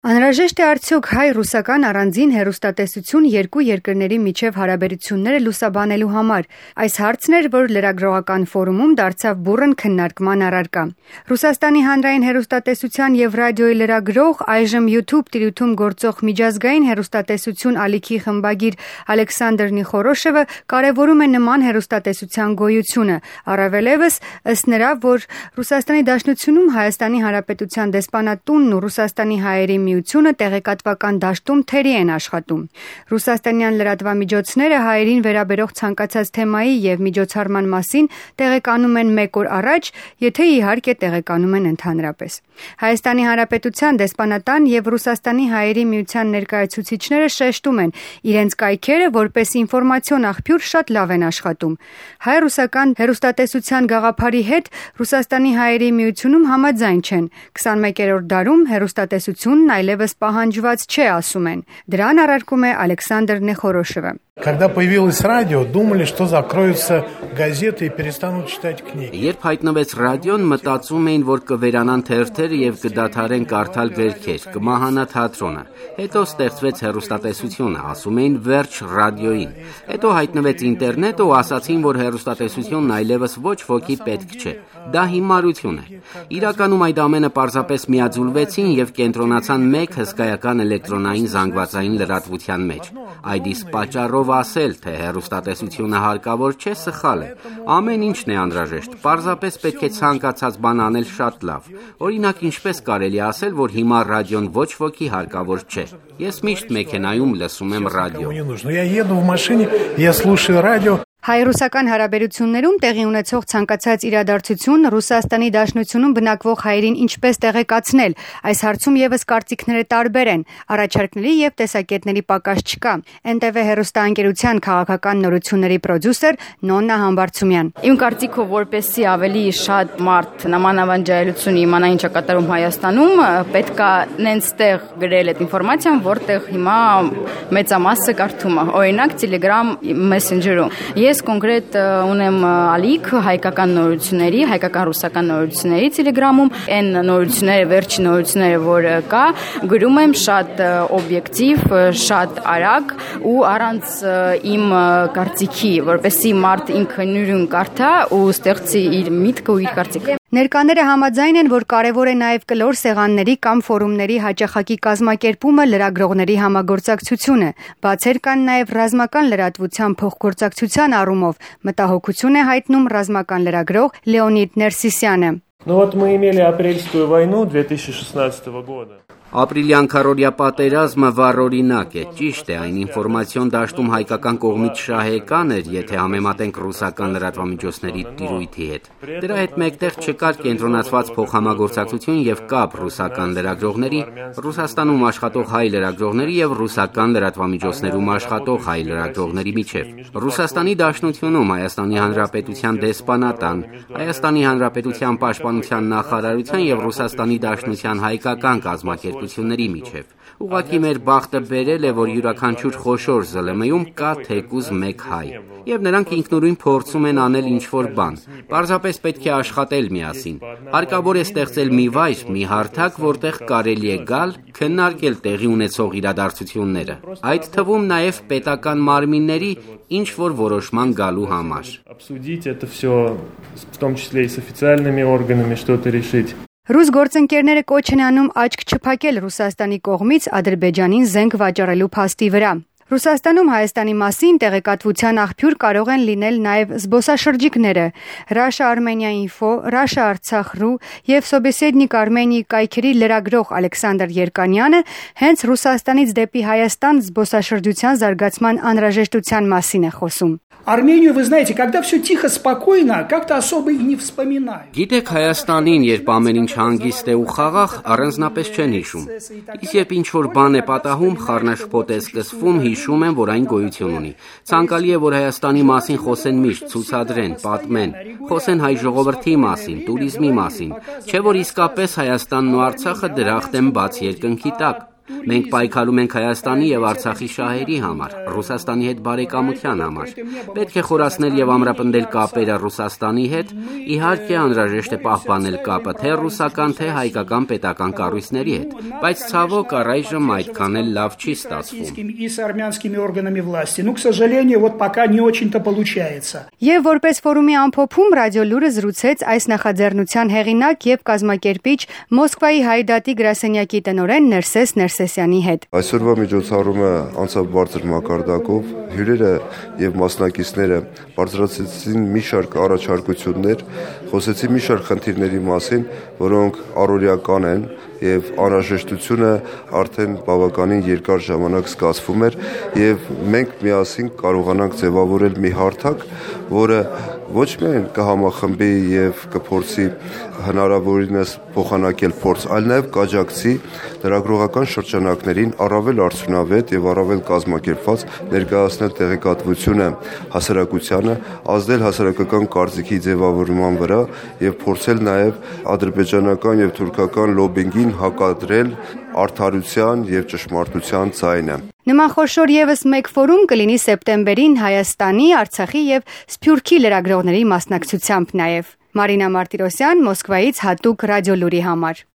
Անհրաժեշտ է արդյոք հայ-ռուսական առանձին հեռուստատեսություն երկու երկրների միջև հարաբերությունները լուսաբանելու համար։ Այս հարցն էր, որ լրագրողական ֆորումում դարձավ բուռն քննարկման առարկա։ Ռուսաստանի հանրային հեռուստատեսության և ռադիոյի լրագրող, այժմ YouTube տիրույթում գործող միջազգային հեռուստատեսություն ալիքի խմբագիր Ալեքսանդր Նիխորոշևը կարևորում է նման հեռուստատեսության գոյությունը, առավելևս ըստ նրա, որ Ռուսաստանի Դաշնությունում Հայաստանի Հանրապետության դեսպանատունն ու Ռուսաստանի հայերի միությունը տեղեկատվական դաշտում թերի են աշխատում։ Ռուսաստանյան լրատվամիջոցները հայերին վերաբերող ցանկացած թեմայի և միջոցառման մասին տեղեկանում են մեկ օր առաջ, եթե իհարկե տեղեկանում են ընդհանրապես։ Հայաստանի Հանրապետության դեսպանատան և Ռուսաստանի հայերի միության ներկայացուցիչները շեշտում են, իրենց կայքերը որպես ինֆորմացիոն աղբյուր շատ լավ են աշխատում։ Հայ-ռուսական հեռուստատեսության գաղափարի հետ Ռուսաստանի հայերի միությունում համաձայն չեն։ 21-րդ դարում հեռուստատեսությունն այլևս պահանջված չէ, ասում են։ Դրան առարկում է Ալեքսանդր Նեխորոշևը։ Когда появилось радио, думали, что закроются газеты и перестанут читать книги. Երբ հայտնվեց ռադիոն, մտածում էին, որ կվերանան թերթեր եւ կդադարեն կարդալ գրքեր, կմահանա թատրոնը։ Հետո ստեղծվեց հեռուստատեսությունը, ասում էին վերջ ռադիոյին։ Հետո հայտնվեց ինտերնետը ու ասացին, որ հեռուստատեսությունն այլևս ոչ ոքի պետք չէ։ Դա հիմարություն է։ Իրականում այդ ամենը պարզապես միաձուլվեցին եւ կենտրոնացան մեկ հսկայական էլեկտրոնային զանգվածային լրատվության մեջ։ Այդ իսկ պատճառով ասել, թե հեռուստատեսությունը հարկավոր չէ, սխալ է։ Ամեն ինչն է անհրաժեշտ, պարզապես պետք է ցանկացած բան անել շատ լավ։ Օրինակ, ինչպես կարելի ասել, որ հիմա ռադիոն ոչ ոքի հարկավոր չէ։ Ես միշտ մեքենայում լսում եմ ռադիո։ Я еду в машине, я слушаю радио. Հայ-ռուսական հարաբերություններում տեղի ունեցող ցանկացած իրադարձություն Ռուսաստանի Դաշնությունում բնակվող հայերին ինչպես տեղեկացնել, այս հարցում եւս կարծիքները տարբեր են, առաջարկների եւ տեսակետների պակաս չկա։ NTV հեռուստաընկերության քաղաքական նորությունների պրոդյուսեր Նոննա Համբարձումյան։ Իմ կարծիքով, որպեսզի ավելի շատ մարդ նմանավանջայլություն իմանա ինչ է կատարում Հայաստանում, պետքա նենց տեղ գրել այդ ինֆորմացիան, որտեղ հիմա մեծամասը կարդում է։ Օրինակ Telegram Messenger-ում։ Ես կոնկրետ ունեմ ալիք հայկական նորությունների, հայկական-ռուսական նորությունների Telegram-ում, այն նորությունները, վերջին նորությունները, որ կա, գրում եմ շատ օբյեկտիվ, շատ արագ ու առանց իմ կարծիքի, որպեսզի մարդ ինքը նույն կարդա ու ստեղծի իր միտքը ու իր կարծիքը։ Ներկաները համաձայն են, որ կարևոր է նաև կլոր սեղանների կամ ֆորումների հաճախակի կազմակերպումը, լրագրողների համագործակցությունը։ Բացեր կան նաև ռազմական լրատվության փոխգործակցության առումով, մտահոգություն է հայտնում ռազմական լրագրող Լեոնիդ Ներսիսյանը։ Вот мы имели апрельскую войну 2016 года. Ապրիլյան քարորյա պատերազմը վառօրինակ է, ճիշտ է, այն ինֆորմացիոն դաշտում հայկական կողմից շահեկան էր, եթե համեմատենք ռուսական լրատվամիջոցների տիրույթի հետ։ Դրա հետ մեկտեղ չկար կենտրոնացված փոխհամագործակցություն եւ կապ ռուսական լրագրողների, Ռուսաստանում աշխատող հայ լրագրողների եւ ռուսական լրատվամիջոցներում աշխատող հայ լրագրողների միջեւ։ Ռուսաստանի Դաշնությունում Հայաստանի Հանրապետության դեսպանատան, Հայաստանի Հանրապետության պաշտպանության նախարարության եւ Ռուսաստանի Դաշնության հայկական կազմակերպությունների միջև։ Ուղղակի մեր բախտը բերել է, որ յուրաքանչյուր խոշոր ԶԼՄ-ում կա թեկուզ մեկ հայ, եւ նրանք ինքնուրույն փորձում են անել ինչ-որ բան։ Պարզապես պետք է աշխատել միասին։ Հարկավոր է ստեղծել մի վայր, մի հարթակ, որտեղ կարելի է գալ, քննարկել տեղի ունեցող իրադարձությունները։ Այդ թվում նաեւ պետական մարմինների ինչ-որ որոշման գալու համար։ Обсудить это всё, в том числе и с официальными органами что-то решить. Ռուս գործընկերները կոչ են անում աչք չփակել Ռուսաստանի կողմից Ադրբեջանին զենք վաճառելու փաստի վրա։ Ռուսաստանում Հայաստանի մասին տեղեկատվության աղբյուր կարող են լինել նաև զբոսաշրջիկները։ Russia-Armenia.info, Russia-Artsakh.ru եւ Sobеседник Armenia կայքերի լրագրող Ալեքսանդր Երկանյանը հենց Ռուսաստանից դեպի Հայաստան զբոսաշրջության զարգացման անհրաժեշտության մասին է խոսում։ Армению, вы знаете, когда все тихо, спокойно, как-то особо и не вспоминают. Գիտեք Հայաստանին, երբ ամեն ինչ հանգիստ է ու խաղաղ, առանձնապես չեն հիշում։ Իսկ երբ ինչ-որ բան է պատահում, խառնաշփոթ է սկսվում, հիշում են, որ այն գոյություն ունի։ Ցանկալի է, որ Հայաստանի մասին խոսեն միշտ, ցուցադրեն, պատմեն, խոսեն հայ ժողովրդի մասին, туриզմի մասին, չէ՞ որ իսկապես Հայաստանն ու Արցախը դրախտ են բաց երկնքի տակ։ Մենք պայքարում ենք Հայաստանի եւ Արցախի շահերի համար, Ռուսաստանի հետ բարեկամության համար։ Պետք է խորացնել եւ ամրապնդել կապերը Ռուսաստանի հետ, իհարկե անհրաժեշտ է պահպանել կապը թե ռուսական, թե հայկական պետական կառույցների հետ, բայց ցավոք առայժմ այդքան էլ լավ չի ստացվում։ И с армянскими органами власти. Ну, к сожалению, вот пока не очень-то получается. Եվ որպես ֆորումի ամփոփում ռադիո լուրը զրուցեց այս նախաձեռնության հեղինակ եւ կազմակերպիչ Մոսկվայի Հայ դատի գրասենյակի տնօրեն Ներսես Ներսեսյանի հետ։ Այսօրվա միջոցառումը անցավ բարձր մակարդակով, հյուրերը եւ մասնակիցները բարձրացրեցին մի շարք առաջարկություններ, խոսեցին մի շարք խնդիրների մասին, որոնք առօրյական են եւ անհրաժեշտությունը արդեն բավականին երկար ժամանակ զգացվում էր եւ մենք միասին կարողանանք ձևավորել մի հարթակ, որը ոչ միայն կհամախմբի եւ կփորձի հնարավորինս փոխանակել փորձ, այլ նաեւ կաջակցի լրագրողական շրջանակներին առավել արդյունավետ եւ առավել կազմակերպված ներկայացնել տեղեկատվությունը հասարակությանը, ազդել հասարակական կարծիքի ձևավորման վրա եւ փորձել նաեւ ադրբեջանական եւ թուրքական լոբինգին հակադրել արդարության եւ ճշմարտության ձայնը։ Նման խոշոր եւս մեկ ֆորում կլինի սեպտեմբերին Հայաստանի, Արցախի եւ Սփյուռքի լրագրողների մասնակցությամբ նաեւ։ Մարինա Մարտիրոսյան, Մոսկվայից հատուկ ռադիո լուրի համար։